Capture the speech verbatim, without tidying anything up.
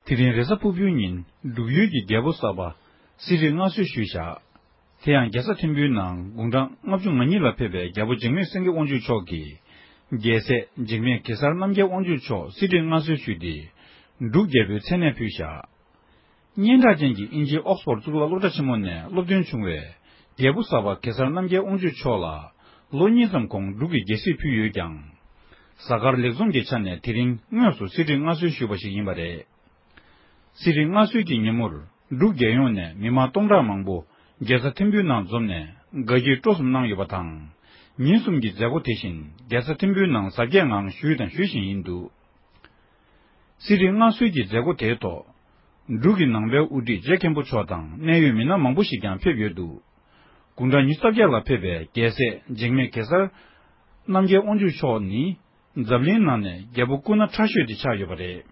དེ་རིང་རེས་གཟའ་ཕུར་བུའི་ཉིན་འབྲུག་ཡུལ་གྱི་རྒྱལ་པོ་གསར་པ་གསེར་རིགས་མངའ་གསོལ་ཞུས་བཞག་དེ་ཡང་རྒྱལ་ས་ཐིམ་ཕུའི་ནང་དགུང་གྲངས་ལྔ་བཅུ་ང་གཉིས་ལ་ཕེབས་པའི་རྒྱལ་པོ་འཇིགས་མེད་སེང་གེ་དབང་ཕྱུག་མཆོག་གིས། རྒྱལ་སྲས་འཇིགས་མེད་གེ་སར་རྣམ་རྒྱལ་དབང་ཕྱུག་མཆོག་གསེར་རིགས་མངའ་གསོལ་ཞུས་ཏེ། འབྲུག་རྒྱལ་པོའི་མཚན་གནས་ཕུལ་བཞག་སྙན་གྲགས་ཅན་གྱི་དབྱིན་ཇིའི་ཨོག་སྤོར་གཙུག་ལག་སློབ་གྲྭ་ཆེན་མོ་ནས་སློབ་ཐོན་བྱུང་བའི་རྒྱལ་པོ་གསར་པ་གེ་སར་རྣམ་རྒྱལ་དབང་ཕྱུག་མཆོག་ལ་ལོ་གཉིས་ཙམ་གོང་འབྲུག་གི་རྒྱལ་སྲིད་ཕུལ་ཡོད་ཀྱང་། གཟའ་སྐར་ལེགས་འཛོམས་ཀྱི་ཆ་ནས་དེ་རིང་དངོས་སུ་གསེར་བྲིས་མངའ་གསོལ་ཞུས་པ་ཞིག་ཡིན་པ་རེད། གསེར་བྲིས་མངའ་གསོལ་གྱི་ཉིན་མོར་འབྲུག་རྒྱལ་ཡོངས་ནས་མི་མང་སྟོང་ཕྲག་མང་པོ་རྒྱལ་ས་ཐིམ་ཕུའི་ནང་འཛོམས་ནས་དགའ་སྐྱིད་སྤྲོ་གསུམ་གནང་ཡོད་པ་དང་། ཉིན་གསུམ་གྱི་མཛད་སྒོ་དེ་བཞིན་རྒྱལ་ས་ཐིམ་ཕུའི་ནང་གཟབ་རྒྱས་ངང་ཞུས་དང་ཞུ་བཞིན་ཡིན་འདུག་གསེར་བྲིས་མངའ་གསོལ་གྱི་མཛད་སྒོ་དེའི་ཐོག་འབྲུག་གི་ནང་པའི་དབུ་ཁྲིད་རྗེ་མཁན་པོ་མཆོག་དང་གནད་ཡོད་མི་སྣ་མང་པོ་ཞིག་ཀྱང་ཕེབས་ཡོད་འདུག་དགུང་གྲངས་ཉི་ཤུ་རྩ་བརྒྱད་ལ་ཕེབས་པའི་རྒྱལ་སྲས་འཇིགས་མེད་གེ་སར་རྣམ་རྒྱལ་དབང་ཕྱུག་མཆོག་ནི་འཛམ་གླིང་ནང་ནས་རྒྱལ་པོ་སྐུ་ན་ཕྲ་ཤོས་དེ་ཆགས་ཡོད་པ་རེད།